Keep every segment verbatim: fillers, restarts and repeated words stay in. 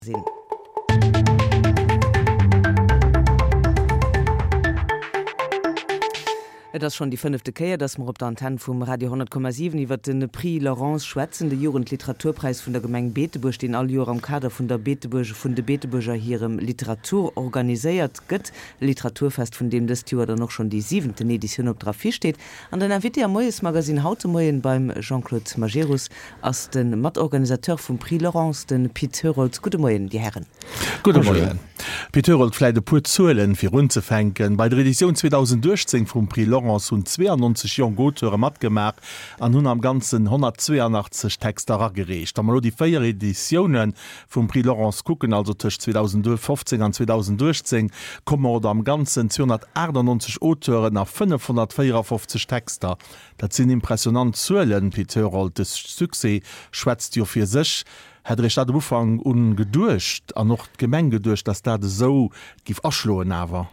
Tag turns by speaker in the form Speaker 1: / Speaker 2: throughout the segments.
Speaker 1: Sinn. Et ass schonn déi fënnefte Kéier, dass mer op der Antenn vum Radio honnert Komma siwen iwwert de Prix Laurence schwätzen, de Jugendliteraturpräis vun der Gemeng Beetebuerg, deen all Joer am Kader vun der Beetebuerg vun de Beetebuerger hirem Literatur organiséiert gëtt. E Literaturfest, vun deem dëst Joer dann och schonn déi siwenten Editioun op der Affiche steet. An den Invité am Moiesmagasinn haut de Moien beim Jean-Claude Majerus ass de Matorganisateur vum Prix Laurence, de Pit Herold. Gudde Moien, Dir Hären.
Speaker 2: Gudde Moien. Pit Herold, vläit e puer Zuelen, fir unzefänken. Bei der Editioun zweedausendachtzéng vum Prix Laurence hunn zweeannonzeg jonk Auteure matgemaach an hunn am Ganzen honnertzweeanachtzeg Texter eragereecht. Wa mer elo déi véier Editioune vum Prix Laurence kucken, also tëscht zweedausendfofzéng an zweedausendachtzéng, komme mer op am Ganzen zweehonnertaachtannonzeg Auteuren a fënnefhonnertvéierafofzeg Texter. Dat sinn impressionant Zuelen, Pit Herold. De Succès schwätzt jo fir sech. Hätt Der Iech dat am Ufank un geduecht an och d'Gemeng geduecht, dass dat esou giff aschloen awer?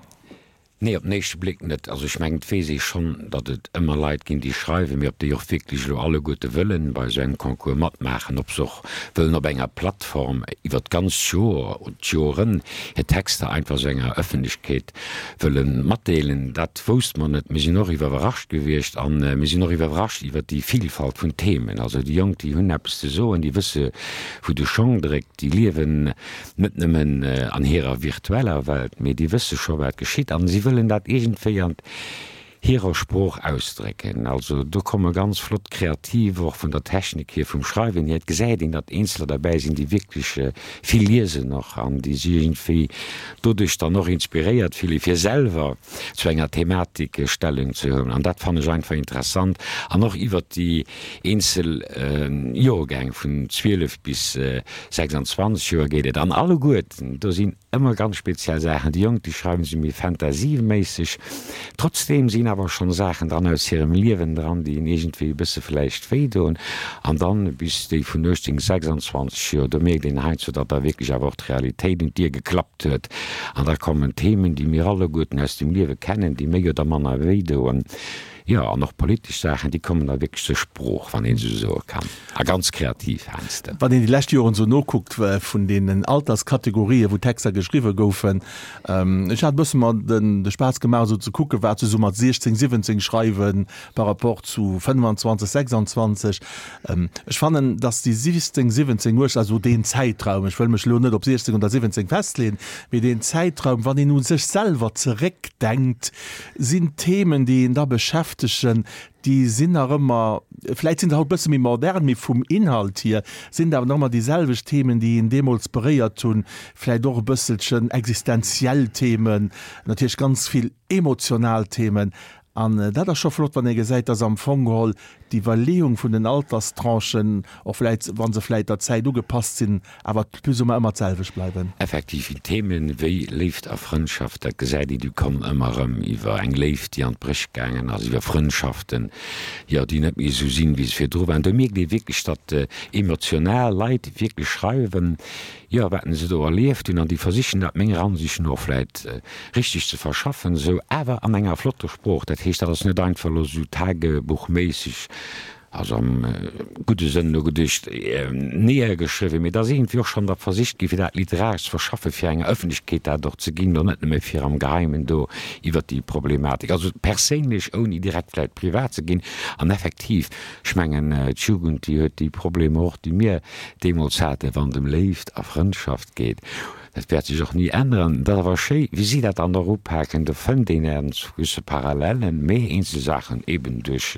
Speaker 3: Nee, op den éischte Bléck net. Also ech mengen, et weess ee schonn, datt et ëmmer Leit ginn, déi schreiwen, mee ob déi och wierklech elo alleguerte wëllen bei esou engem Concours matmaachen, ob se och wëllen op enger Plattform iwwer d'ganzt Joer oder d'Joren hir Texter einfach esou enger Ëffentlechkeet wëlle matdeelen, dat wousste mer net. Mir sinn och iwwerrascht gewiescht a mir sinn och iwwerrascht iwwer déi Vilfalt vun Themen. Also déi Jonk, déi hunn eppes ze soen, déi wësse wou de Schong dréckt, déi liewen net nëmmen an hirer virtueller Welt, mee déi wësse scho wat geschitt a si wëllen dat iergendwéi an hirer Sprooch ausdrécken. Also do komme ganz flott kreativ, och vun der Technik hier, vum Schreiwen hier. Et gesäit een, datt Eenzeler derbäi sinn, déi wierklech vill liesen och an déi sech iergendwéi doduerch dann och inspiréiert fillen, fir selwer zu enger Thematik Stellung ze huelen. An dat fannen ech einfach interessant. An och iwwert déi eenzel Joergäng vun zwielef bis sechsandzwanzeg Joer geet et. An alleguerten, do sinn ëmmer ganz speziell Saachen. Déi Jonk, déi schreiwen se méi fantasieméisseg. Trotzdeem sinn awer schonn Saachen dran aus hirem Liewen dran, déi een iergendwéi e bësse vläicht wéi doen. An dann bis déi vun uechtzéng, sechsandzwanzeg Joer, do mierkt een heiansdo, datt da wierklech awer och d'Realitéit un d'Dier geklappt huet. An da kommen Themen, déi mir alleguerten aus dem Liewe kennen, déi méi oder manner wéi doen. Jo, an och politesch Saachen, déi kommen da wierklech zur Sprooch, wann een esou soe kann, a ganz kreativ heiansdo.
Speaker 2: Wann een déi lescht Joren esou nokuckt vun deenen Alterskategorien, wou Texter geschriwwe goufen, ech hat e bësse mer de Spaass gemaach, esou ze kucken, wat se esou mat siechzéng, siwwenzéng schreiwe par rapport zu fënnwanzwanzeg, sechsandzwanzeg. Ech fannen, datt déi sichzéng, siwwenzéng, uechtzéng, also deen Zäitraum, ech wëll mech elo net op siechzéng oder siwwenzéng festleeën, mee deen Zäitraum, wann een u sech selwer zeréckdenkt, sinn d'Themen, déi een da beschäftegen, déi sinn nach ëmmer, vläit sinn se haut e bësse méi modern, mee vum Inhalt hier sinn et awer nach ëmmer déi selwecht Themen, déi een deemools beréiert hunn, vläit och e bësselchen existenziell Themen, natierlech ganz vill emotional Themen. An dat ass scho flott, wann ee gesäit, dass am Fong geholl d'Iwwerleeung vun den Alterstranchen, och vläit, wa se vläit der Zäit ugepasst sinn, awer plus ou moins ëmmer d'selwecht bleiwen.
Speaker 3: Effektiv, Themen wéi Léift a Frëndschaft, dat gesäit een, déi kommen ëmmer erëm, iwwer eng Léift, déi an d'Bréch gaangen ass, iwwer Frëndschaften, jo, déi net méi esou sinn, wéi se virdru waren. Do mierkt ee wierklech, datt emotional Leit wierklech schreiwen, jo, wat se do erlieft hunn, an déi versichen dat menger Ansicht no vläit richteg ze verschaffen, esou awer an enger flotter Sprooch. Dat heescht, dat ass net einfach elo esou tagebuchméisseg, also am gudde Sënn elo geduecht, neergeschriwwen, mee et ass iergendwéi och schonn da versicht gi fir dat literaresch ze verschaffen, fir enger Ëffentlechkeet dat och ze ginn, an net nëmme fir am Geheimen do iwwert déi Problematik, also perséinlech, ouni direkt vläit privat ze ginn. An effektiv, ech mengen, d'Jugend, déi huet déi Problemer och, déi mir deemools haten, wann et ëm Léift a Frëndschaft geet. Dat wäert sech och ni änneren. Et ass awer schéi, wéi si dat dann och upaken. Do fënnt een ernstwisse Parallellen, mee eenzel Saachen eben duerch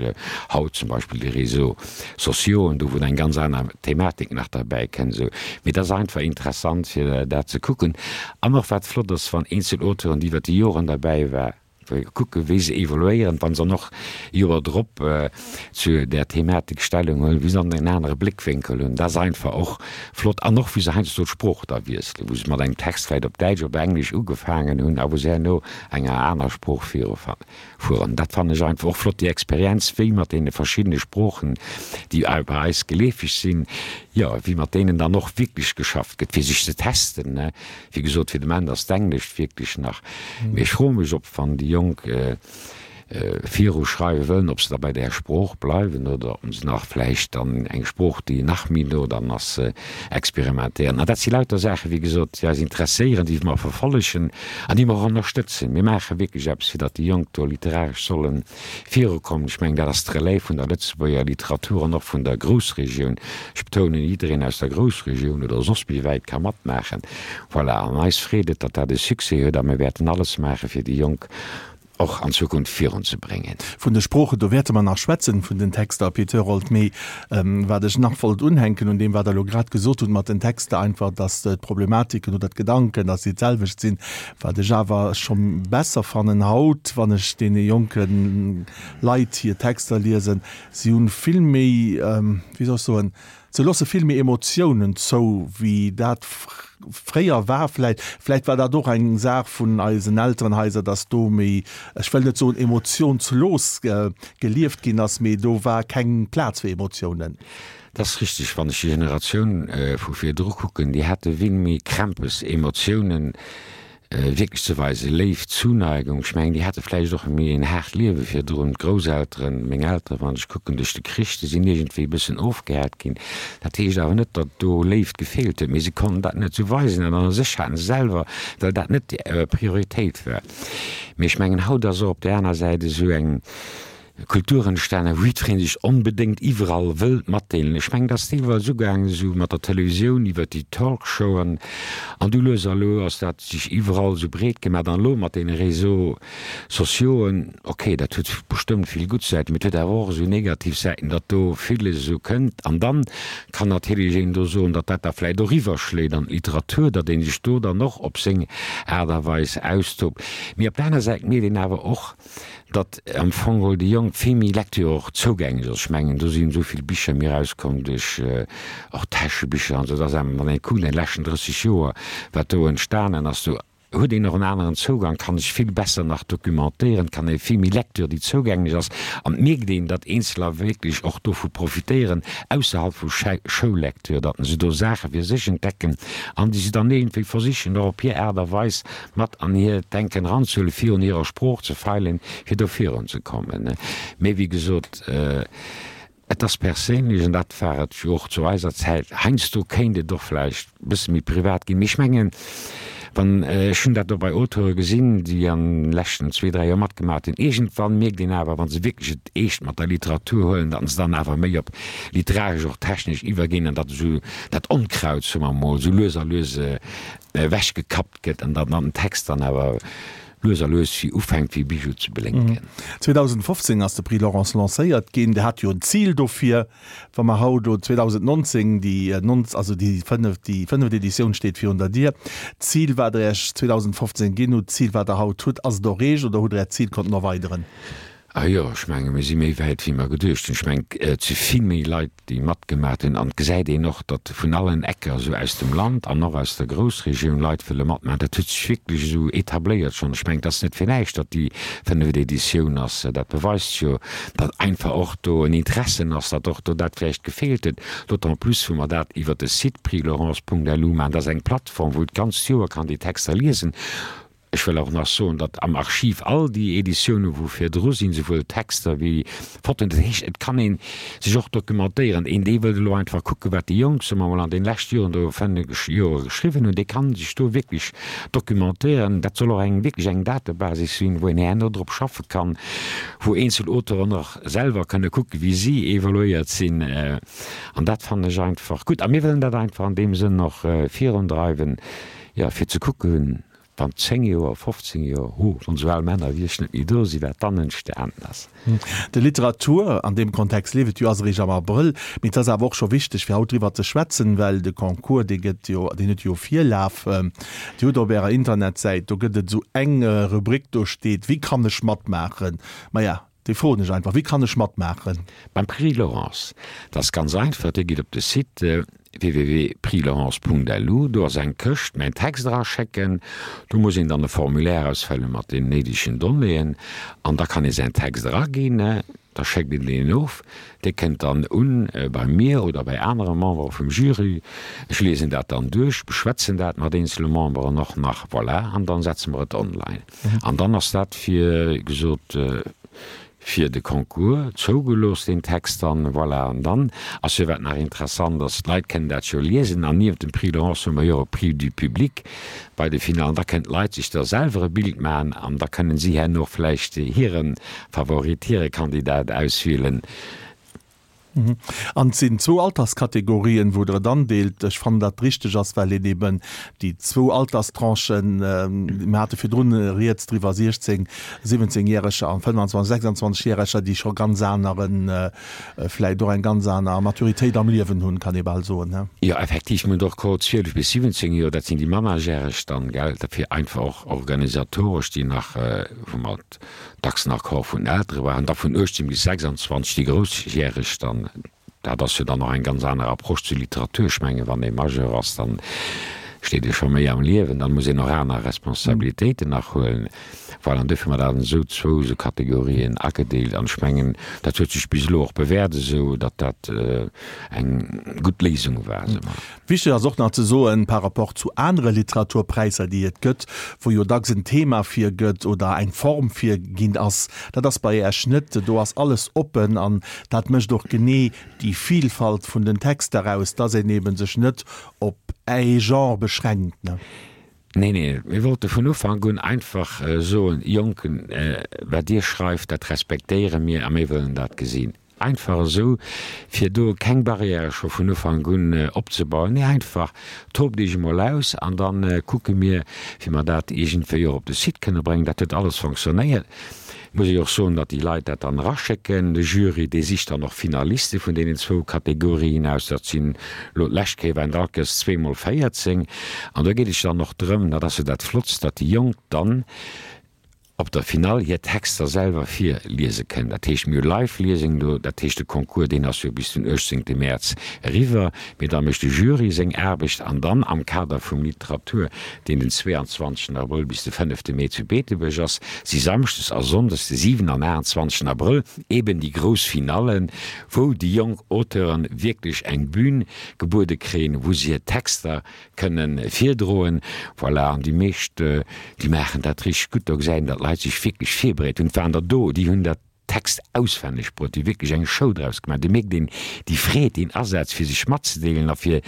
Speaker 3: haut zum Beispill déi Réseaux sociauxen, do wou eng ganz aner Thematik nach derbäi kënnt esou. Mee et ass einfach interessant, fir dat ze kucken. An och wat flott ass, wann eenzel Auteuren, déi iwwer déi Joren derbäi war, Kucke wéi se evoluéieren, wa se dann och Joer drop zu där Thematik Stellung huelen, wéi se dann en anere Bléckwénkel hunn. Dat ass einfach och flott. An och wéi se heiansdo d'Sprooch da wiesselen, wou se mat engem Text vläicht op Däitsch, op Englesch ugefaangen hunn a wou se herno enger aner Sprooch virufueren. Dat fannen ech einfach och flott, déi Experienz, wéi mat deene verschiddene Sproochen, déi bei eis geleefeg sinn, jo, wéi mat deenen dann och wierklech geschafft gëtt, fir sech ze testen. Wéi gesot, fir de Moment ass d'Englescht wierklech nach, mee ech froe mech, ob wann déi Jonk viruschreiwe wëllen, ob se da bei där Sprooch bleiwen oder ob se nach vläicht dann eng Sprooch, déi nach méi no dann ass, experimentéieren. An dat si lauter Saachen, wéi gesot, déi eis interesséieren, déi mer verfollegen an déi mer och ënnerstëtzen. Mir maache wierklech eppes, fir datt déi Jonk do literaresch solle virukommen. Ech mengen, dat ass d'Relève vun der Lëtzebuerger Literatur an och vun der Groussregioun. Ech betounen, jiddereen aus der Groussregioun oder soss méi wäit ka matmaachen. Voilà, an eis freet et, datt dat e Succès huet a mir wäerten alles maachen, fir déi Jonk och an Zukunft virunzebréngen.
Speaker 2: Vun de Sproochen, do wäerte mer nach schwätzen, vun den Texter, Pit Herold. Mee wat ech nach wollt unhänken un deem, wat Der elo grad gesot hutt mat den Texter, einfach, datt d'Problematiken oder d'Gedanken, datt se d'selwecht sinn. Wat ech awer scho besser fannen haut, wann ech deene jonke Leit hir Texter liesen, si hu vill méi, wéi soll ech soen, Se loosse vill méi Emotiounen zou, wéi dat fréier war vläicht. Vläicht war dat och eng Saach vun eisen Elterenhaiser, dass do méi, ech wëll net soen emotionslos gelieft ginn ass, mee do war keng Plaz fir Emotiounen.
Speaker 3: Dat ass richteg. Wann ech déi Generatioun vu virdru kucken, déi hate vill méi Krämpes, Emotiounen wierklech ze weisen, Léift, Zuneigung. Ech mengen, déi hate vläicht och méi en haart Liewe virdrun, d'Grousselteren, meng Elteren, wann ech kucken, duerch de Krich, déi sinn iergendwéi e bëssen ofgehäert ginn. Dat heescht awer net, datt do Léift gefeelt huet, mee se konnten dat net esou weisen an a sech haten se selwer, well dat net déi Prioritéit war. Mee ech mengen, haut ass och op där aner Säit esou eng, Kultur entstanen, wou jiddweree sech onbedéngt iwwerall wëllt matdeelen. Ech mengen, dat ass deelweis ugaangen esou mat der Televisioun iwwert déi Talkshowen an du lues a lo ass dat sech iwwerall esou breet gemaach an elo mat deene Réseaux sociauxen, okay, dat huet bestëmmt vill gutt Säiten, mee et huet awer och esou negativ Säiten, datt do villes esou kënnt an dann kann natierlech een do soen, datt dat da vläicht och iwwerschléit an d'Literatur, datt ee sech do dann och op seng Aart a Weis austobt. Mee op der aner Säit mierkt een awer och, datt am Fong geholl déi Jonk vill méi Lecture och zougänglech ass. Ech mengen, do sinn esou vill Bicher méi erauskomm duerch och Täschebicher an esou, dass engem, wann ee kuckt an de leschten drësseg Joer, wat do entstanen ass, do huet een och en aneren Zougang, kann sech vill besser nach documentéieren, kann ee vill méi Lecture, déi zougänglech ass, an et mierkt een, datt Eenzeler wierklech och dovu profitéieren, ausserhalb vu Schoullecture, datt se do Saache fir sech entdecken an déi se dann iergendwéi versichen och op hir Aart a Weis mat an hiert Denken eranzehuelen, fir un hirer Sprooch ze feilen, fir do virunzekommen. Mee wéi gesot, et ass perséinlech, an dat war et jo och zu eiser Zäit, heiansdo kéint et och vläicht e bësse méi privat ginn, mee ech mengen, wann, ech hunn dat och bei Auteure gesinn, déi an de leschten zwee, dräi Joer matgemaach hunn, iergendwann mierkt een awer, wa se wierklech et eescht mat der Literatur huelen, datt se dann awer méi op literaresch, och technesch iwwerginn an datt esou dat Onkraut, soe mer emol, esou lues a lues ewechgekappt gëtt an datt den Text dann awer lues a lues wéi ufänkt wéi Bijou ze blénken.
Speaker 2: zweedausendfofzéng ass de Prix Laurence lancéiert ginn. Der hat jo en Zil dofir. Wa mer haut elo zweedausendnonzéng, déi nonz, also déi fënneft, déi fënneft Editioun steet virun der Dier, d'Zil wat Der Iech zweedausendfofzéng ginn hutt, d'Zil wat Der haut hutt, ass et erreecht oder hutt Der Äert Zil konnten erweideren?
Speaker 3: Ah jo, ech menge mir si méi wäit wéi mer geduecht hunn. Ech mengen et si vill méi Leit déi matgemaat hunn an et gesäit een och, datt vun allen Ecker esou aus dem Land an och aus der Groussregioun Leit wëlle matmaachen. Dat huet sech wierklech esou etabléiert schonn. Ech mengen et ass net fir näischt, datt déi fënneft Editioun ass. Dat beweist jo, datt einfach och do en Interessen ass, datt och do dat vläicht gefeelt huet. D'autant plus wou mer dat iwwert de Site prixlaurence Punkt lu maachen. Dat ass eng Plattform, wou d'ganzt Joer kann déi Texter liesen. Ech wëll och nach soen, datt am Archiv all déi Editiounen, wou virdru sinn, souwuel Texter wéi Fotoen, dat heescht, et kann ee sech och dokumentéieren. Een, dee wëllt elo einfach kucken, wat déi Jonk, soe mer emol, an deene leschte Joren do, fënneg Joer geschriwwen hunn, dee kann sech do wierklech dokumentéieren. Dat soll och eng, wierklech eng Datebasis sinn, wou een herno drop schaffe kann, wou eenzel Auteuren och selwer kënne kucken, wéi si evaluéiert sinn. An dat fannen ech einfach gutt. A mir wëllen dat einfach an deem Sënn och virundreiwen, jo, fir ze kucken, Wann zéng Joer, fofzéng Joer, hu, wann esou al Männer wéi ech net méi do sinn, wat dann entstanen ass.
Speaker 2: De Literatur an deem Kontext leeft et jo, ass eréischt am Abrëll, mee et ass awer och scho wichteg, fir haut driwwer ze schwätzen, well de Concours, dee gëtt jo, deen huet jo Virlaf. Dir hutt op Ärer Internetsäit, do gëtt et esou eng Rubrik, do steet, Wéi kann ech matmaachen? Maja, déi froen ech einfach, Wéi kann ech matmaachen?
Speaker 3: Beim Prix Laurence, dat ass ganz einfach, Dir gitt op de Site www.prixlaurence Punkt lu, do ass eng Këscht, mäin Text eraschécken, do muss een dann e Formulaire ausfëlle mat den néidegen Donnéeën an da kann ee säin Text eraginn, da schéckt een deen of, dee kënnt dann un bei mir oder bei anere Membere vum Jury, ech liesen dat dann duerch, beschwätzen dat mat eenzele Memberen och nach, voilà, an dann setze mer et online an dann ass dat fir gesot. fir de Concours zougelooss, deen Text dann. Voilà, an dann ass jo, wat nach interessant ass, d'Leit kënnen dat jo liesen, an nieft dem Prix Laurence hu mer jo och e Prix du Public bei de Finallen, da kënnen d'Leit sech da selwer e Bild maachen an da kënnen si herno och vläicht hire Favorit, hire Kandidat auswielen.
Speaker 2: An et sinn zwou Alterskategorien, wou Der et andeelt. Ech fannen, datt richteg ass, well een eben déi zwou Alterstranchen, mir hate virdrun rieds driwwer, siechzéng-, siwwenzéngjäreger an fënnwanzwanzeg-, sechsanzwanzegjäreger, déi scho ganz aneren, vläicht och eng ganz aner Maturitéit am Liewen hunn, kann ee bal soen, he?
Speaker 3: Jo, effektiv, mir hunn och Cohort zwielef bis siwwenzéng Joer, dat sinn déi Mannerjäreg dann, gell, dofir einfach och organisatoresch, déi nach, wou mer dacks nach Accord vun Eltere waren, da vun uechtzéng bis sechsanzwanzeg déi Groussjäreg dann. Dat ass jo dann och eng ganz aner Approche zur Literatur. Ech mengen, wann ee Majeur ass, dann steet ee scho méi am Liewen, dann muss een och aner Responsabilitéiten nach huelen. Voilà, an duerfir hu mer dat an esou zwou esou Kategorien agedeelt. An ech mengen, dat huet sech bis elo och bewäert esou, datt dat eng gutt Léisung war, soe mer.
Speaker 2: Wichteg ass och nach ze soen, par rapport zu anere Literaturpräisser, déi et gëtt, wou jo dacks en Thema virgëtt oder eng Form virginn ass, dat ass bei Iech net. Do ass alles oppen an dat mécht och genee déi Vielfalt vun den Texter aus, dass een eebe sech net op ee Genre beschränkt.
Speaker 3: Nee, nee, mir wollte vun Ufank un einfach soen, Jonken, wat Dir schreift, dat respektéiere mir a mir wëllen dat gesinn. Einfach esou, fir do keng Barrièrë scho vun Ufank un opzebauen. Nee, einfach, tobt Iech emol aus an da kucke mir, wéi mer dat iergendwéi och op de Site kënne bréngen. Dat huet alles fonctionnéiert. Muss ech och soen, datt déi Leit dat dann eraschécken. De Jury, dee sicht dann och Finaliste vun deenen zwou Kategorien aus. Dat sinn elo d'lescht Kéier waren et all Kéiers zwee mol véierzéng. An do geet et jo dann och drëm, dat ass jo dat Flottst, datt déi Jonk dann op der Finall hir Texter selwer virliese kënnen. Dat heescht, mir hu Live-Liesungen do, dat heescht, de Concours, deen ass jo bis den uechtzéngte Mäerz eriwwer, mee da mécht de Jury seng Aarbecht an dann am Kader vum Literatur, deen den zweeanzwanzegsten Abrëll bis de fënnefte Mee zu Beetebuerg ass, si samschdes a sonndes de siwen an aachtundzwanzegsten Abrëll eben déi grouss Finallen, wou déi jonk Auteuren wierklech eng Bühn gebuede kréien, wou se hir Texter kënnen virdroen. Voilà, an déi meescht, déi maachen dat richteg gutt. Do gesäit een, datt d'Leit sech wierklech virbereet hunn. Et waren der do, déi hunn dat Text auswenneg bruet, déi hu wierklech eng Show draus gemaach. Do mierkt een déi Freed, deen Asaz, fir sech matzedeelen a fir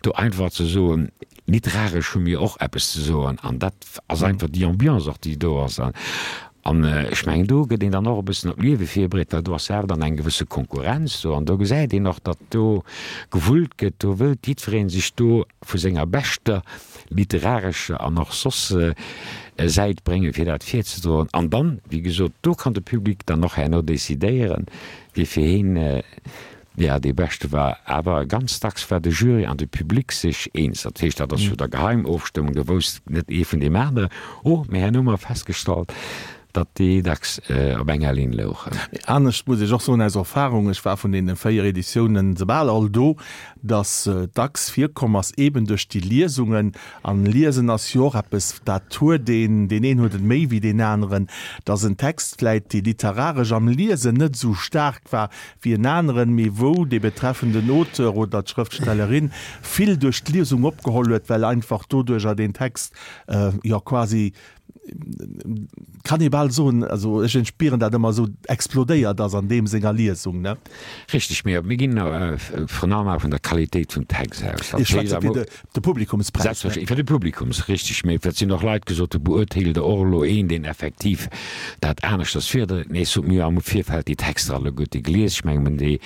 Speaker 3: do einfach ze soen, literaresch hu mir och eppes ze soen. An dat ass einfach déi Ambiance och, déi do ass. An ech mengen, do gëtt een dann och e bëssen op d'Liewe virbereet, well do ass jo awer dann eng gewësse Konkurrenz do. An do gesäit een och, datt do gewullt gëtt, do wëllt jiddweree sech do vu senger beschter literarescher an och soss Säit bréngen, fir dat virzedroen. An dann, wéi gesot, do kann de Public dann och herno decidéieren, wie fir heen Jo, dee beschte war. Awer ganz dacks war de Jury an de Public sech eens. Dat heescht, dat ass jo da geheim Ofstëmmung, do wousst net ee vun deem aneren. Oh, mee herno hu mer festgestallt, datt déi dacks op enger Linn louchen.
Speaker 2: Mee anescht muss ech och soen, aus Erfahrung, ech war vun deene véier Editiounen se bal all do, datt dacks virkomm ass, eeben duerch déi Liesungen, an Liesen ass jo och eppes, dat huet een, deen een huet et méi wéi deen aneren, datt en Text vläit, dee literaresch am Liesen net esou staark war wéi en aneren, mee wou dee betreffenden Auteur oder d'Schrëftstellerin vill duerch d'Liesung opgeholl huet, well einfach doduercher deen Text jo quasi, kann ee bal soen, also ech spieren dat ëmmer esou, explodéiert ass an deem senger Liesung, ne?
Speaker 3: Richteg, mee mir ginn vrun allem awer vun der Qualitéit vum Text aus.
Speaker 2: Ech schwätze fir de Publikumspräis.
Speaker 3: Selbstverständlech, fir de Publikums, richteg. Mee et sinn och Leit gesot, do beurteelt Der och elo een, deen effektiv dat aneschters virdréit. Mee ech sot, mir hu am Virfeld déi Texter alleguerte gelies, ech mengen, mir hunn déi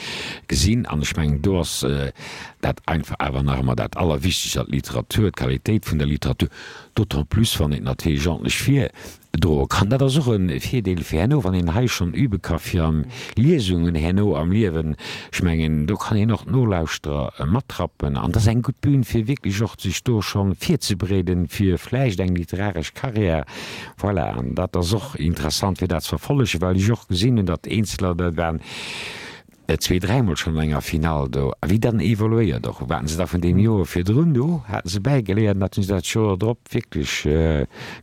Speaker 3: gesinn an ech mengen, do ass dat einfach awer nach ëmmer dat Allerwichtegst, datt d'Literatur, d'Qualitéit vun der Literatur, D'autant plus wann een et natierlech ordentlech virdroe kann. Dat ass och e Virdeel fir herno, wann een hei schonn übe ka fir an Liesungen herno am Liewen. Ech mengen, do kann een och d'Nolauschterer matrappen an dat ass eng gutt Bühn, fir wierklech och sech do scho virzebereeden fir vläicht eng literaresch Karriär. Voilà, an dat ass och interessant fir dat ze verfollegen, well ech och gesinn hunn, datt Eenzeler, dat waren, zwee, dräimol schonn an enger Finall do. A wéi dann evoluéiert och, wat se da vun deem Joer virdrun do haten se bäigeléiert an dat hu se dat Joer drop wierklech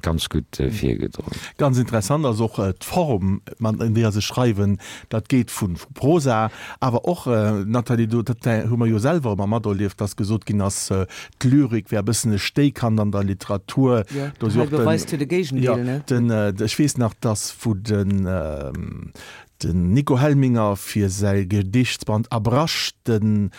Speaker 3: ganz gutt virgedroen.
Speaker 2: Ganz interessant ass och d'Form, an deeër se schreiwen. Dat geet vu Prosa, awer och, Nathalie, do dat hu mer jo selwer ëmmer materlieft, dass gesot ginn ass, d'Lyrik wär e bëssen e Stéikand an der Literatur.
Speaker 1: Jo, hei beweist jo de Géigendeel, ne?
Speaker 2: Jo, den, ech weess nach, dass wou den, Den Nico Helminger fir säi Gedichtsband Abrasch den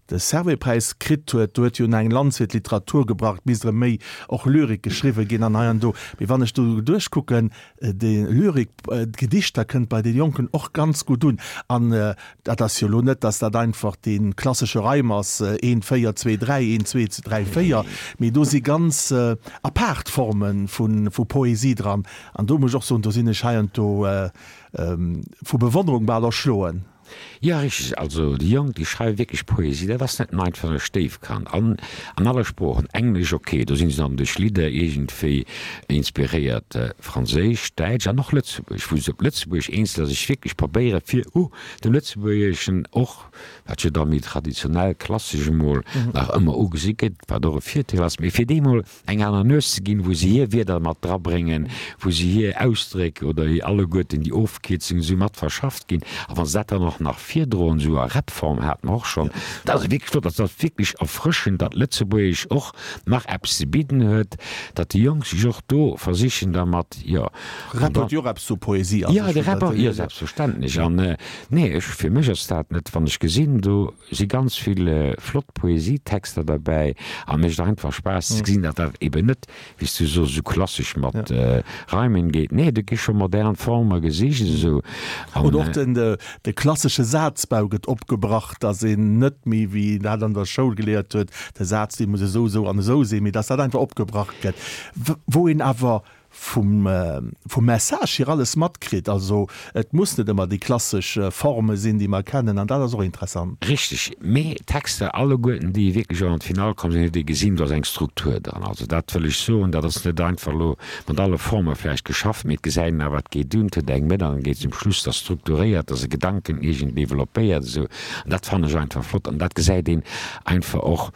Speaker 2: de Servais-Präis kritt huet, do huet jo eng Lanz fir d'Literatur gebrach, et misst erëm méi och Lyrik geschriwwe ginn an hei an do. Mee wann ech do duerchkucken, déi Lyrik, d'Gedichter kënnt bei de Jonken och ganz gutt un. An dat ass jo elo net, datt dat einfach dee klassesche Reim ass, een, véier, zwee, dräi, een, zwee, dräi, véier, mee do si ganz apaart Forme vu Poesie dran. An do muss ech och soen, do sinn ech heiansdo Vu Bewonnerung bal erschloen.
Speaker 3: Jo, richteg. Also déi Jonk, déi schreiwe wierklech Poesie. Dat ass net nëmmen einfach e Stéifkand. An an alle Sproochen. Englesch, ok, do si se dann duerch Lidder iergendwéi inspiréiert. Franséisch, Däitsch an och Lëtzebuergesch, wou se op Lëtzebuergesch Eenzeler sech wierklech probéiere fir u dem Lëtzebuergeschen och, wat jo da méi traditionell, klassesch emol nach ëmmer ugesi gëtt, wat och e Virteel ass, mee fir deemol eng aner Nues ze ginn, wou se hir Wierder mat drabréngen, wou se hir Ausdréck oder hir alleguerten déi Ofkierzungen esou mat verschafft ginn. A wa se dat dann och nach virdroen, esou a Rap-Form hat mer och schonn, dat ass wierklech flott. Dat ass wierklech erfrëschend, datt Lëtzebuergesch och nach eppes ze bidden huet, datt déi Jonk sech och do versichen da mat, jo.
Speaker 2: Rap huet jo och eppes vu Poesie
Speaker 3: a sech. Jo, de Rap och, jo, selbstverständlech. An nee, ech, fir mech ass dat net, wann ech gesinn, do si ganz vill flott Poesietexter derbäi an mécht einfach Spaass ze gesinn, datt dat eben net, wéi s du sos, esou klassesch mat Reimen geet. Nee, do gi scho modern Forme gesicht esou.
Speaker 2: Oder och den de klassesche Sazbau gëtt opgebrach, datt een net méi, wéi een dat an der Schoul geléiert huet, de Saz dee muss esou, esou an esou sinn, mee datt dat einfach opgebrach gëtt, wou een awer vum vum Message hier alles matkritt. Also et muss net ëmmer déi klassesch Forme sinn, déi mer kennen, an dat ass och interessant.
Speaker 3: Richteg, mee d'Texter alleguerten, déi wierklech och an d'Finall komm sinn, huet ee gesinn, do ass eng Struktur dran. Also dat wëll ech soen, dat ass net einfach elo mat alle Forme vläicht geschafft, mee et gesäit een awer, et geet un, et huet eng Mëtt an et geet zum Schluss, et ass strukturéiert, et ass e Gedanken iergend developpéiert esou, an dat fannen ech einfach flott an dat gesäit een einfach och.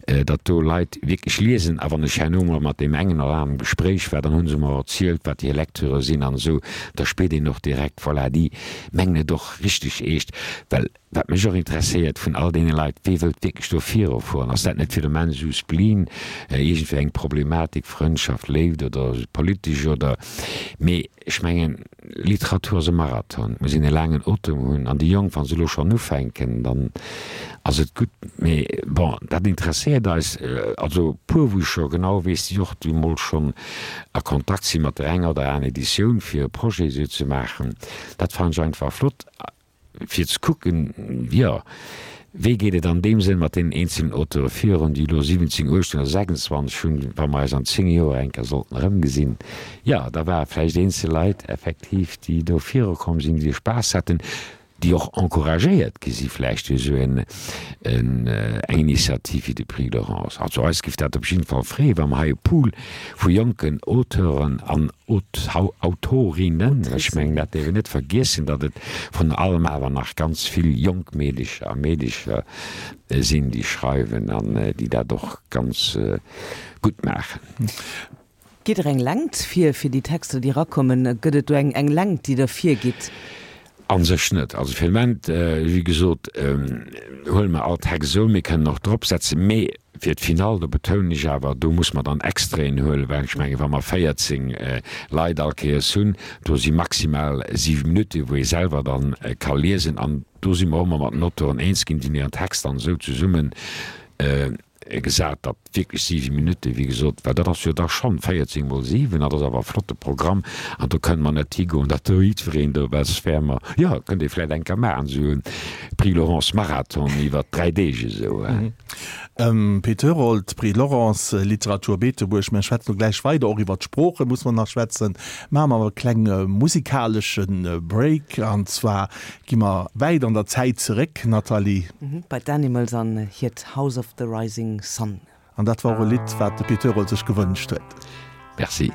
Speaker 3: datt do Leit wierklech liesen. A wann ech herno mol mat deem engen oder aneren am Gespréich war, dann hu se mer erzielt, wat hir Lecturë sinn an esou. Da spiert een och direkt, voilà, déi mengen et och richteg eescht. Well wat mech och interesséiert vun all deene Leit, wee wëllt wierklech do virufueren? Ass dat net fir de Moment esou Spleen, iergendwéi eng Problematik, Frëndschaft, Léift oder politesch oder, mee ech mengen, Literatur ass e Marathon, et muss een e laangen Otem hunn an déi Jonk, wa se elo schonn ufänken, dann ass et gutt. Mee bon, dat interesséiert eis. Also e puer, wou ech scho genau weess, déi och du mol schonn a Kontakt si mat der enger oder aner Editioun, fir e Projet esou ze maachen, dat fannen ech einfach flott. Fir ze kucken, jo, wéi geet et an deem Sënn mat deenen eenzelen Auteure virun, déi elo siwwenzéng, uechtzéng oder sechsundzwanzeg hunn, wa mer eis an zéng Joer eng Kéier sollten erëmgesinn, jo, da ware vläicht eenzel Leit effektiv, déi do virukomm sinn, déi Spaass haten, déi och encouragéiert gi si vläicht duerch esou en, eng Initiativ wéi de Prix Laurence. Also eis géif dat op jidde Fall freeën, wa mer hei e Pool vu jonken Auteuren an Autorinnen, ech mengen dat däerf een net vergiessen, datt et vrun allem awer nach ganz vill jonk Meedecher a Meedecher sinn, déi schreiwen an déi dat och ganz gutt maachen.
Speaker 1: Gitt Der eng Längt vir, fir déi Texter, déi erakommen? Gëtt et do eng Längt, déi Der virgitt?
Speaker 3: A sech net. Also fir de Moment, wéi gesot, huele mer all Text esou. Mir kënnen och dropsetzen. Mee fir d'Finall, do betounen ech awer, do muss mer dann Extraiten huelen, well ech mengen, wa mer véierzéng Leit all Kéiers hunn, do si maximal siwe Minutten, wou ee selwer dann ka liesen. An do si mer och ëmmer mat den Auteuren eens ginn, déi hunn hiren Text dann esou zesummen gesat, datt wierklech siwe Minutten, wéi gesot, well dat ass jo da schonn véierzéng mol siwen, dat ass awer e flotte Programm an do kënne mer net higoen, datt do jiddwereen do, well soss wäre mer, jo, kënnt ee vläicht eng Kéier maachen, esou e Prix Laurence Marathon iwwer dräi Deeg esou.
Speaker 2: Pit Herold, Prix Laurence, Literatur Beetebuerg, Mir schwätzen elo gläich weider, och iwwer d'Sprooche muss mer nach schwätzen. Maache mer awer e klenge musikalesche Break an zwar Gi mer wäit an der Zäit zeréck, Nathalie.
Speaker 1: Bei d'Animals an hiert House of the Rising Sun.
Speaker 2: An dat war och e Lidd, wat de Pit Herold sech gewënscht huet.
Speaker 3: Merci.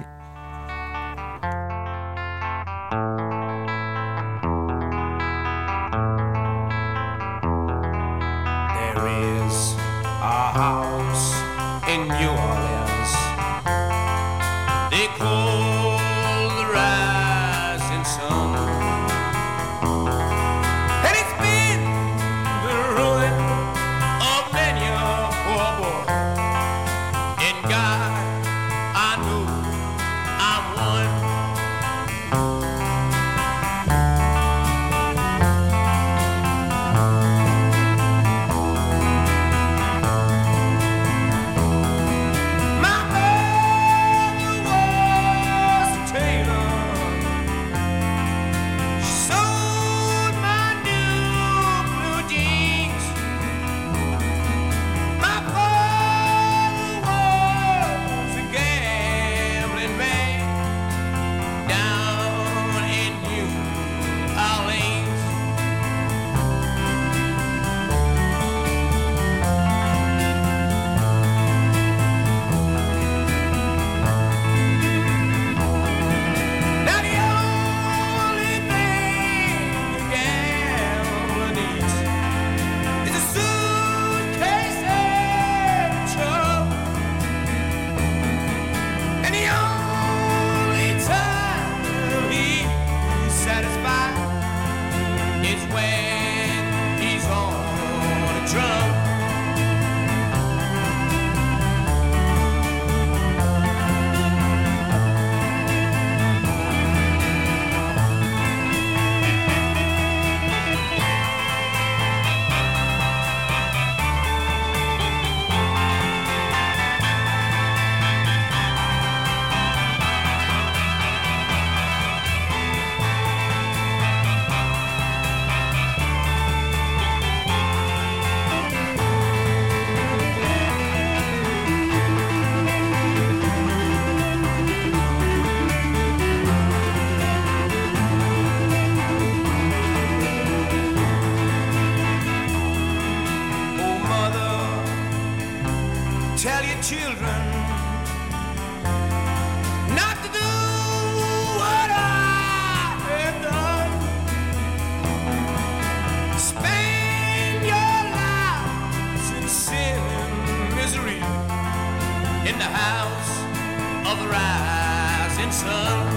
Speaker 4: of the rising sun.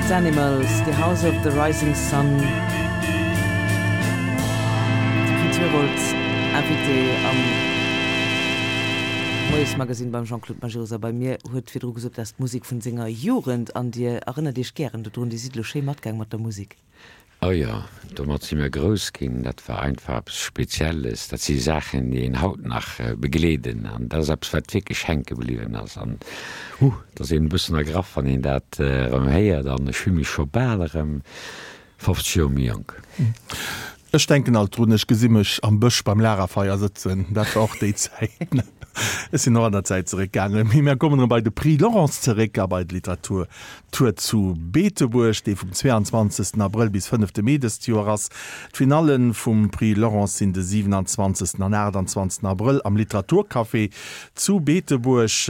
Speaker 1: D'Animals, The House of the Rising Sun. De Pit Herold, Invité am Moiesmagazin beim Jean-Claude Majerus a bei mir, huet virdru gesot, dat ass d'Musek vun senger Jugend an Dir erënnert Iech gären dodrun. Dir sidd elo schéi matgaang mat der Musek.
Speaker 3: Oh jo, domat si mir grouss ginn. Dat war einfach eppes Spezielles. Dat si Saachen, déi een haut nach begleeden. An dat ass eppes, wat wierklech hänke bliwwen ass. An, huh, et ass een e bëssen ergraff, wann een dat erëm héiert. An ech fille mech scho bal erëm fofzeg Joer méi jonk.
Speaker 2: Ech denken alt drun, ech gesi mech am Bësch beim Lagerfeier sëtzen. Dat war och déi Zäit. Ech sinn och an der Zäit zeréckgaangen. Mee mir kommen erëm bei de Prix Laurence zeréck a bei d'Literaturtour zu Beetebuerg, dee vum zweiundzwanzegsten Abrëll bis fënnefte Mee dëst Joer ass. D'Finalle vum Prix Laurence sinn de siwenanzwanzegsten an aachtanzwanzegsten Abrëll am Literaturcafé zu Beetebuerg.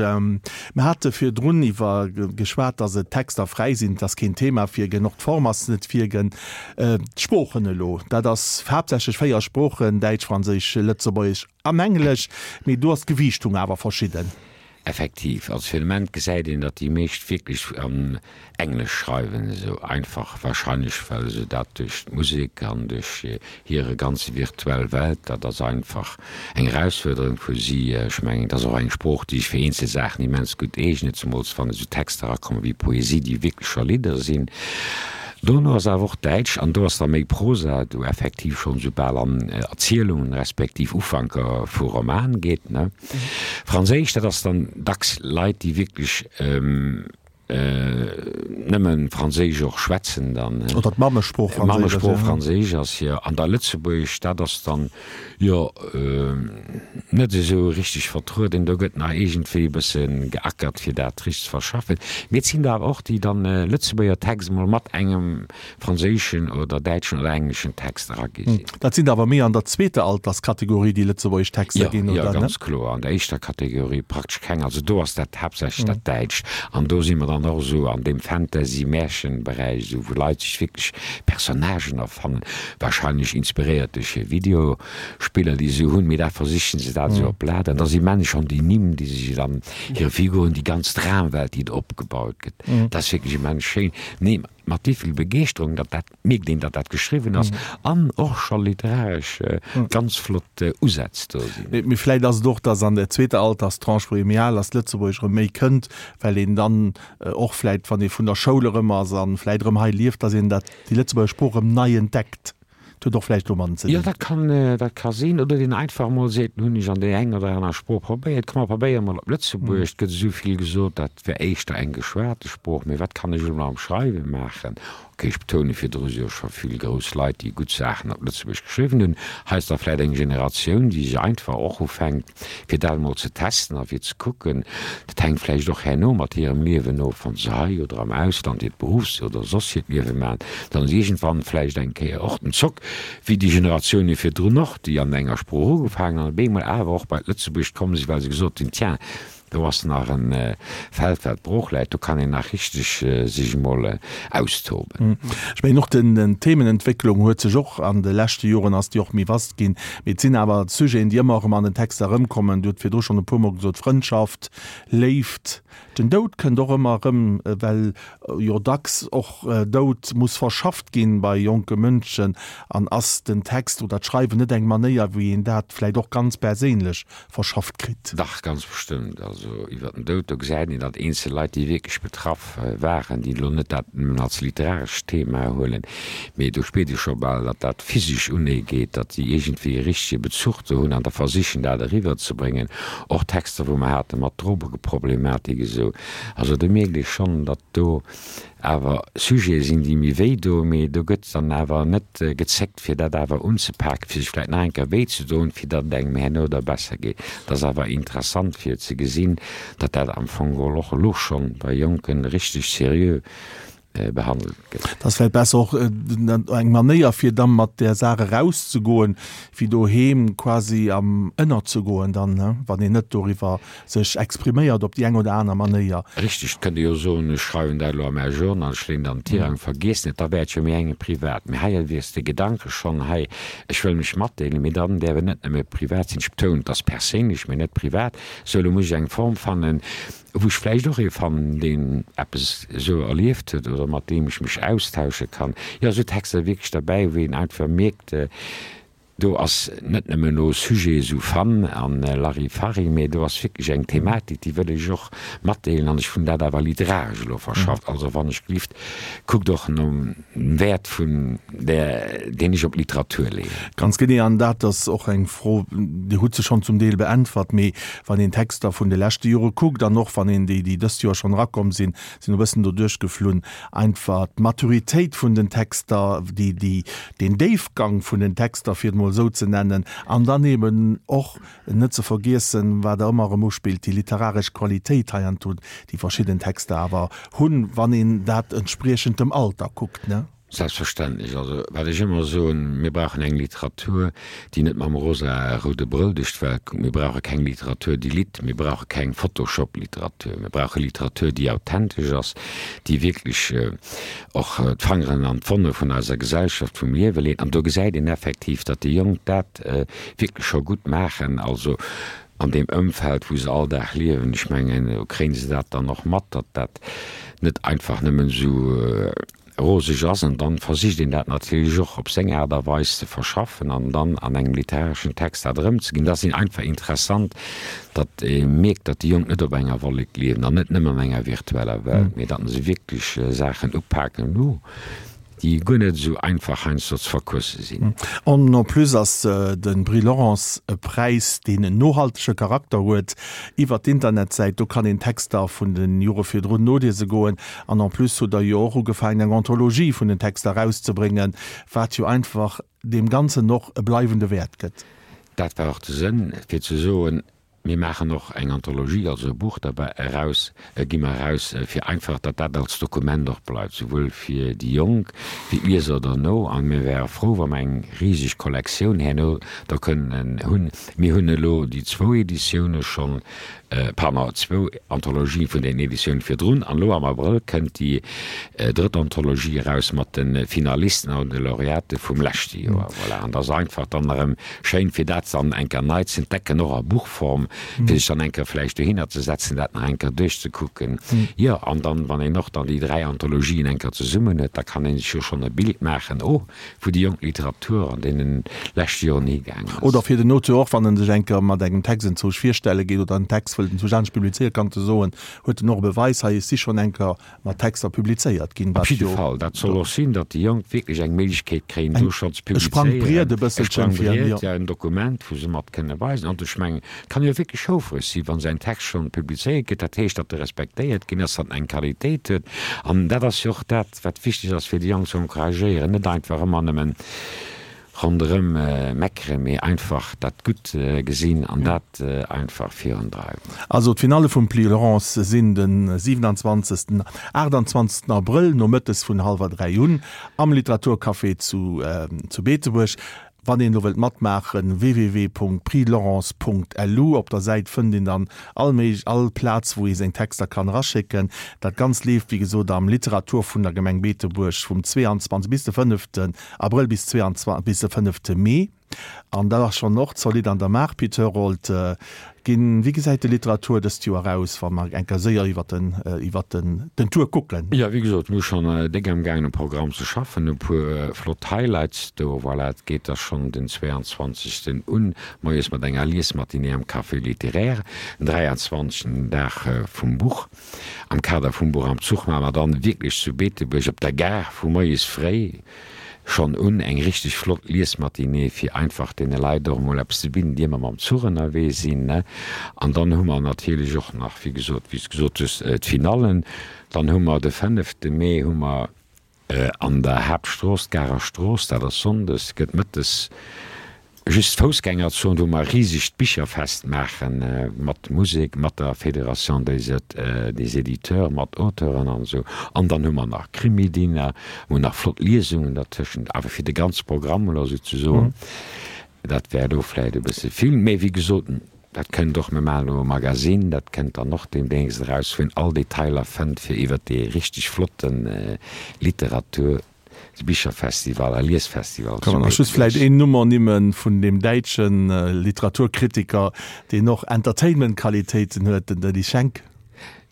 Speaker 2: Mir hate virdrun iwwer geschwat, dass et Texter fräi sinn, et ass keen Thema virginn, och d'Form ass net virginn. D'Sproochen elo, dat ass haaptsächlech véier Sproochen, Däitsch, Franséisch, Lëtzebuergesch an Englesch, mee do ass d'Gewiichtung awer verschidden.
Speaker 3: Effektiv, also fir de Moment gesäit een, datt déi meescht wierklech an Englesch schreiwen, esou einfach wahrscheinlech well se dat duerch d'Musek an duerch hire ganze virtuell Welt, dat ass einfach eng Erausfuerderung fir si. Ech mengen, et ass och eng Sprooch, déi sech fir eenzel Saachen immens gutt eegnet, zemools wann esou Texter erakommen wéi Poesie, déi wierklech scho Lidder sinn. Dono ass awer och Däitsch, an do ass da méi Prosa, do effektiv schonn esou bal an Erzielungen respektiv Ufanker vu Roman geet, ne. Franséisch, dat ass dann dacks Leit, déi wierklech nëmme Franséisch och schwätzen dann, ne.
Speaker 2: Oder d'Mammesprooch Franséisch ass, jo.
Speaker 3: D'Mammesprooch Franséisch ass, jo. An da Lëtzebuergesch, dat ass dann, jo, net esou richteg vertrueden. Do gëtt nach iergendwéi e bësse geackert, fir dat richteg ze verschaffen. Mee et sinn der awer och, déi dann e Lëtzebuerger Text emol mat engem franséischen oder däitschen oder engleschen Text eragi sinn.
Speaker 2: Dat sinn der awer méi an der zweeter Alterskategorie, déi lëtzebuergesch Texter ginn,
Speaker 3: oder?
Speaker 2: Jo,
Speaker 3: jo, ganz kloer. An der éischter Kategorie praktesch keng. Also do ass dat haaptsächlech dat Däitscht. An do si mer dann och esou an deem Fantasy-Märchen-Beräich, esou wou Leit sech wierklech Personnagen erfannen, wahrscheinlech inspiréiert duerch hir Videospiller, déi se hunn, mee da versichen se dat esou op Blat. An da si immens schonn déi Nimm, déi se dann hire Figuren, déi ganz Dramwelt, déi do opgebaut gëtt, dat ass wierklech immens schéin. Nee, mat wéi vill Begeeschterung, datt dat, mierkt een, datt dat geschriwwen ass an och scho literaresch ganz flott Usätz do sinn.
Speaker 2: Mee vläicht ass et och, datt an der zweeter Alterstranche, wou ee méi al ass, d'Lëtzebuergesch erëm méi kënnt, well een dann och vläicht, wann ee vun der Schoul erëm ass a vläicht erëm hei lieft, datt een dat, déi Lëtzebuerger Sprooch erëm nei entdeckt. Dat huet och vläicht domadden ze
Speaker 3: Jo,
Speaker 2: dinn.
Speaker 3: dat kann, dat ka sinn. Oder deen einfach emol seet, Nun hunn ech an där eng oder aner Sprooch probéiert, komm mer probéiere mol op Lëtzebuergesch. Et gëtt esou vill gesot, dat wär éischter eng geschwate Sprooch, mee wat kann ech elo nach am Schreiwe maachen? Ok, ech betounen, virdru si jo scho vill grouss Leit, déi gutt Saachen op Lëtzebuergesch geschriwwen hunn. Hei ass da vläicht eng Generatioun, déi sech einfach och ufänkt, fir dat emol ze testen a fir ze kucken. Dat hänkt vläicht och herno mat hirem Liewen of, wann se hei oder am Ausland hiert Beruffs oder soss hiert Liewe maachen, dann ass iergendwann vläicht eng Kéier och den Zock, wéi déi Generatioune virdrun och, déi an enger Sprooch ugefaangen an op eemol awer och bei d'Lëtzebuergescht komm sinn, well se gesot hunn, Tiens, Do ass nach e Feld, wat brooch läit. Do kann een nach richteg sech emol austoben.
Speaker 2: Ech mengen och den Themenentwécklung huet sech och an de leschte Joren ass déi och méi vast ginn. Mee et sinn awer Sujeten, déi ëmmer erëm an den Texter erëmkommen. Dir hutt virdru schonn e puermol gesot, Frëndschaft, Léift, den Doud kënnt och ëmmer erëm, well jo dacks och Doud muss verschafft ginn bei jonke Mënschen. An ass den Text oder d'Schreiwen net eng Manéier, wéi een dat vläicht och ganz perséinlech verschafft kritt?
Speaker 3: Dach, ganz bestëmmt. Also iwwer den Doud, do gesäit een, datt eenzel Leit, déi wierklech betraff waren, déi elo net dat nëmmen als literarescht Thema huelen, mee do spiert ee scho bal, datt dat physesch uneegeet, datt déi iergendwéi e richtege Bezuch do hunn an da versichen, dat eriwwerzebréngen. Och Texter, wou mer hate mat Drogeproblematik esou. Also do mierkt ee schonn, datt do awer Sujete sinn, déi méi wéi doen, mee do gëtt dann awer net gezéckt, fir dat awer unzepaken, fir sech vläicht nach eng Kéier wéi ze doen, fir datt et engem herno da besser geet. Et ass awer interessant fir ze gesinn, datt dat am Fong geholl och elo schonn bei Jonke richteg seriö behandelt gëtt.
Speaker 2: Et ass vläicht besser och eng Manéier, fir da mat där Saach erauszegoen, wéi doheem quasi am ënnerzegoen dann, wann een net doriwwer sech expriméiert op déi eng oder aner Manéier.
Speaker 3: Richteg, et kënnt ee jo soen, ech schreiwen dat elo a mäi Journal, ech leeën dat an den Tirang, vergiessen et, da wär et jo méi eng privat. Mee hei wiers de Gedanke schonn, hei, ech wëll mech matdeelen, mee dann däerf et net nëmme privat sinn, ech betounen, et ass perséinlech, mee net privat, sou elo muss ech eng Form fannen, wou ech vläicht och ee fannen, deen eppes esou erlieft huet oder mat deem ech mech austausche kann. Jo, esou Texter wierklech derbäi, wou een einfach mierkt, do ass net nëmmen elo Sujet esou Fun an Larifari, mee do ass wierklech eng Thematik, déi wëll ech och matdeelen an ech hunn dat awer literaresch elo verschafft. Also wann ech gelift, kuckt och nom Wäert vun där, deen ech op d'Literatur leeën.
Speaker 2: Ganz genee, an dat ass och eng Fro, Dir hutt se schonn zum Deel beäntwert, mee wann een d'Texter vun de leschte Jore kuckt an och wann een déi, déi dëst Joer schonn erakomm sinn, sinn e bëssen doduerch geflunn, einfach d'Maturitéit vun den Texter, déi, déi, deen Déifgang vun den Texter, fir et emol esou ze nennen, an dann eeben och net ze vergiessen, wat Der ëmmer erëm uspillt, déi literaresch Qualitéit heiansdo, déi verschidden Texter awer hunn, wann een dat entspriechend dem Alter kuckt, ne?
Speaker 3: Selbstverständlech. Also, wat ech ëmmer soen, Mir brauchen eng Literatur, déi net mam rosa-roude Brëll duerch d'Welt kuckt. Mir brauche keng Literatur, déi litt. Mir brauche keng Photoshop-Literatur. Mir brauche Literatur, déi authentesch ass, déi wierklech och d'Fangeren an d'Wonne vun eiser Gesellschaft, vum Liewe leet. An do gesäit een effektiv, datt déi Jonk dat wierklech scho gutt maachen. Also an deem Ëmfeld, wou se all Dag liewen. Ech mengen, do kréie se dat dann och mat, datt dat net einfach nëmmen esou roseg ass. An dann versicht een dat natierlech och op seng Aart a Weis ze verschaffen an dann an engem literareschen Text dat erëmzeginn. Dat ass einfach interessant, datt ee mierkt, datt déi Jonk net op enger Wollek liewen an net nëmmen an enger virtueller Welt, mee datt se wierklech Saachen upaken, déi guer net esou einfach heiansdo ze verquësse sinn.
Speaker 2: An en plus ass de Prix Laurence e Präis, deen en nohaltege Charakter huet. Iwwer d'Internetsäit, do kann een Texter vun de Jore virdrun noliese goen. An en plus hutt Der jo och ugefaangen, eng Anthologie vun den Texter erauszebréngen, wat jo einfach deem Ganzen och e bleiwende Wäert gëtt.
Speaker 3: Dat war och de Sënn, fir ze soen, Mir maachen och eng Anthologie, also e Buch derbäi eraus, gi mer eraus, fir einfach, datt dat als Dokument och bleift, souwuel fir déi Jonk wéi d'Lieser derno. A mir wäre frou, wa mer eng riseg Kollektioun herno da kënnen hunn. Mir hunn elo déi zwou Editioune schonn, pardon, zwou Anthologien vun den Editiounen virdrun, an elo am Abrëll kënnt déi drëtt Anthologie eraus mat de Finalisten an de Laureate vum leschte Joer. Voilà, an et ass einfach dann erëm schéin, fir dat dann eng Kéier nei ze entdecken, och a Buchform, fir sech dann eng Kéier vläicht dohinner ze setzen, dat nach eng Kéier duerchzekucken. Jo, an dann, wann een och dann déi dräi Anthologien eng Kéier zesummen huet, da kann ee sech jo schonn e Bild maachen, oh, wou déi jonk Literatur an deene leschte Joren higaangen ass.
Speaker 2: Oder fir den Auteur och, wann en sech eng Kéier mat engem Text enzwousch virstelle geet oder en Text wëllt enzwousch anescht publizéieren, kann e soen, huet en och e Beweis, hei, ech si schonn eng Kéier mat Texter publizéiert ginn,
Speaker 3: Op
Speaker 2: wat
Speaker 3: jidde
Speaker 2: jo
Speaker 3: Fall, dat soll och sinn, datt déi Jonk wierklech eng Méiglechkeet kréien, do
Speaker 2: eng
Speaker 3: schonn ze
Speaker 2: e Sprangbriet
Speaker 3: publizéieren,
Speaker 2: e
Speaker 3: e
Speaker 2: bësselchen fir,
Speaker 3: Sprangbriet,
Speaker 2: jo.
Speaker 3: jo, en Dokument, wou se mat kënne weisen. An ech mengen, et kann jo wierklech houfreg sinn, wa säin Text schonn publizéiert gëtt, dat heescht, datt e respektéiert ginn ass, datt en eng Qualitéit huet. An dat ass jo och dat, wat wichteg ass, fir déi Jonk ze encouragéieren, net einfach ëmmer nëmmen ronderëm meckeren, mee einfach dat Gutt gesinn an dat einfach virundreiwen.
Speaker 2: Also d'Finalle vum Prix Laurence sinn de siwenanzwanzegsten, aachtanzwanzegsten Abrëll nomëttes vun hallwer dräi un am Literaturcafé zu zu Beetebuerg. Wann een elo wëllt matmaachen, www.prixlaurence.lu, op der Säit fënnt een dann all méig all Plaz wou ee seng Texter kann eraschécken. Dat Ganzt leeft wéi gesot am Literatur vun der Gemeng Beetebuerg vum zweeanzwanzeg bis de fënneften Abrëll bis zweeanzwanzeg bis de fënnefte Mee. An dat ass schonn och zolidd an der Maach. Pit Herold, ginn, wéi gesäit de Literatur dëst Joer aus, wa mer eng Kéier séier iwwer den, iwwer den, den Tour kucken?
Speaker 3: Jo, wéi gesot, mir hu schonn déck amgaangen um Programm ze schaffen, e puer flott Highlights do. Voilà, et geet da schonn den zweeanzwanzegsten un, moies mat enger Liesmatinée am Café littéraire, den dräianzwanzegsten, den Dag vum Buch, am Kader vum Buch am Zuch, maache mer dann wierklech zu Beetebuerg op der Gare vu moies fréi schonn un eng richteg flott Liesmatinée, fir einfach deene Leit och emol eppes ze bidden, déi ëmmer mam Zuch ënnerwee sinn. An dann hu mer natierlech och nach, wéi gesot, wéi s de gesot hues, d'Finallen. Dann hu mer de fënnefte Mee hu mer an der Haaptstrooss, d'Garer Strooss, dat ass sonndes, gëtt mëttes Just d'Foussgängerzon, wou mer e risegt Bicherfest maache mat Musek, mat der Fédération des des Éditeurs, mat Auteuren an esou. An dann hu mer nach Krimi-Dinner, mer hunn nach flott Liesungen dertëschent. Awer fir de ganze Programm elo esou ze soen, dat wär elo vläicht e bësse vill. Mee wéi gesot, dat kënnt och, mir maachen elo e Magasinn, dat kënnt dann och deemnächst eraus, wou een all Detailer fënnt fir iwwert dee richteg flotte Literatur Bicherfestival a Liesfestival
Speaker 2: Kann
Speaker 3: zu
Speaker 2: man nach just
Speaker 3: Beetebuerg.
Speaker 2: vläit een Numm ernimmen vun deem däitsche Literaturkritiker, deen och Entertainment-Qualitéiten huet, den Denis Schenk.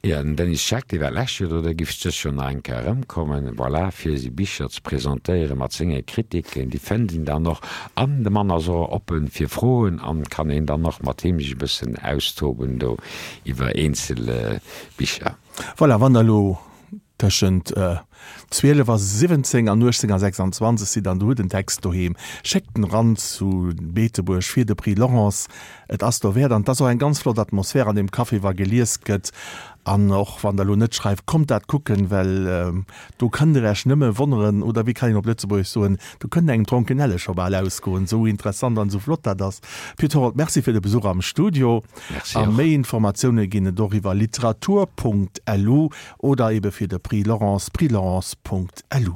Speaker 3: Jo, den Denis Schenk, dee war d'lescht Joer do, dee giff dëst Joer nach eng Kéier erëmkommen, voilà, fir seng Bicher ze presentéieren mat senge Kritiken. Déi fënnt een dann och. An de Mann ass och oppen fir Froen an kann een dann och mat him sech e bëssen austoben do iwwer eenzel Bicher.
Speaker 2: Voilà, wann der elo Tëschent zwielef a siwwenzéng an uechtzéng a sechsanzwanzeg sidd an der hutt en Text doheem, schéckt en eran zu Beetebuerg fir de Prix Laurence. Et ass dowäert an et ass och eng ganz flott Atmosphär an deem Café wa gelies gëtt. An och wann der elo net schreift, kommt dat kucken, well do kënnt der Iech nëmme wonneren, oder wéi kann een op Lëtzebuergesch soen, do kënnt engem d'Dronkenelle scho bal ausgoen, esou interessant an esou flott dat ass. Pit Horath, Merci fir de Besuch am Studio.
Speaker 3: Merci
Speaker 2: A
Speaker 3: och.
Speaker 2: méi Informatioune ginn et och iwwer literatur Punkt lu oder ebe fir de Prix Laurence, prixlaurence Punkt lu.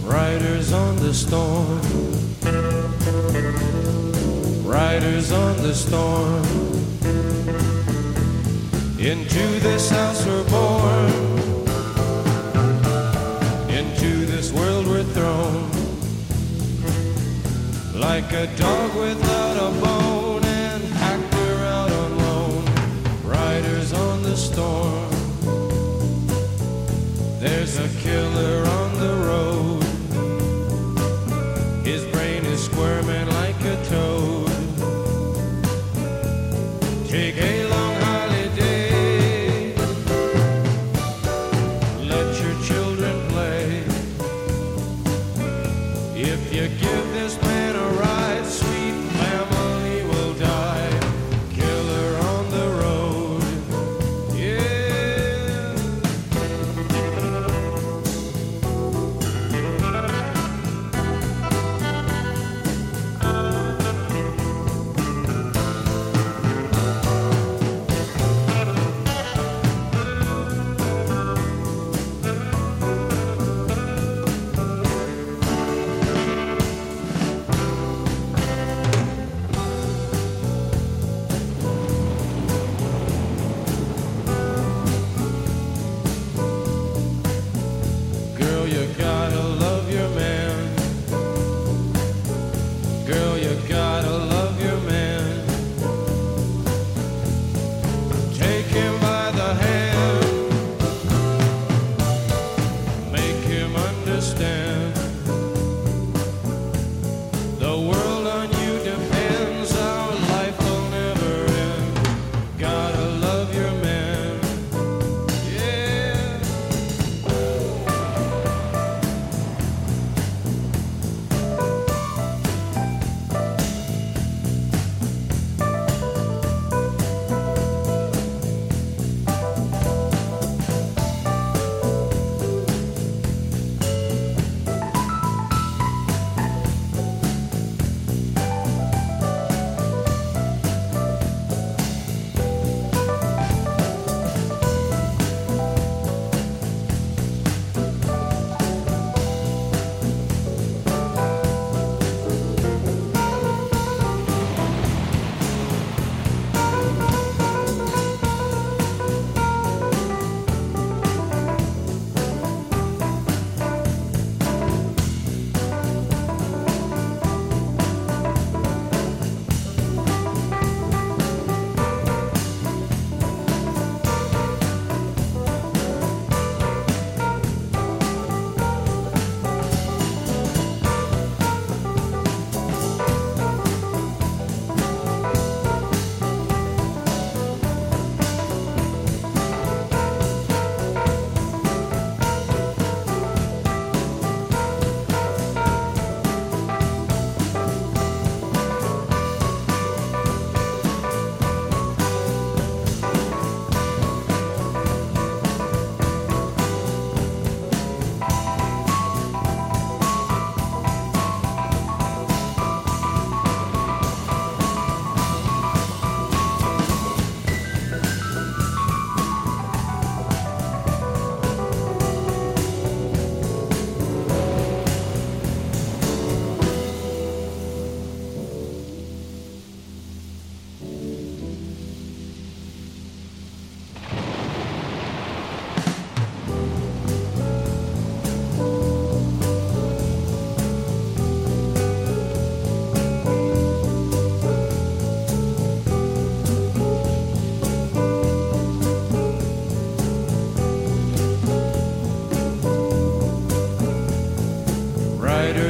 Speaker 4: Riders on the storm Riders on the storm Into this house we're born Into this world we're thrown Like a dog without a bone An actor out on loan Riders on the storm There's a killer on the road His brain is squirming like a toad Take a long holiday Let your children play If you give this man a ride Sweet family will die Killer on the road Yeah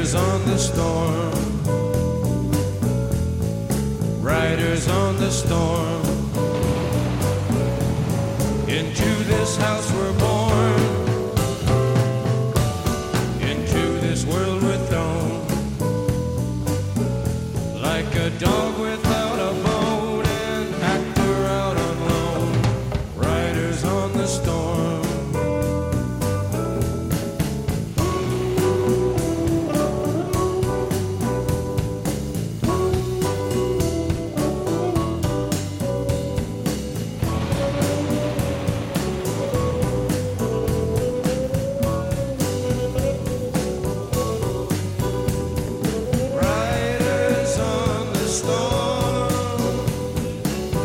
Speaker 4: Riders on the storm. Riders on the storm. Into this house we're born. Into this world we're thrown. Like a dog without a bone, an actor out on loan. Riders on the storm. Riders on the storm.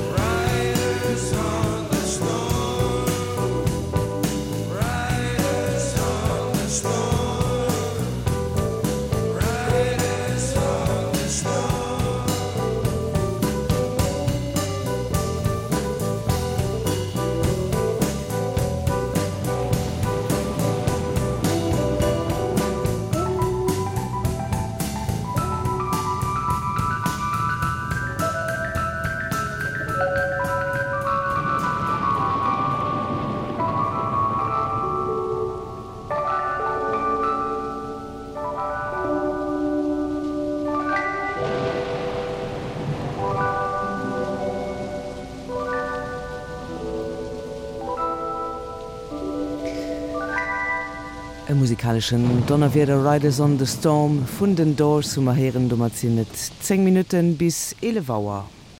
Speaker 4: Riders on the storm. Riders on the storm. Riders on the storm.
Speaker 1: E musikaleschen Donnerwieder Riders on the Storm vun den Doors hu mer héieren. Domat sinn et zéng Minutten bis eelef Auer.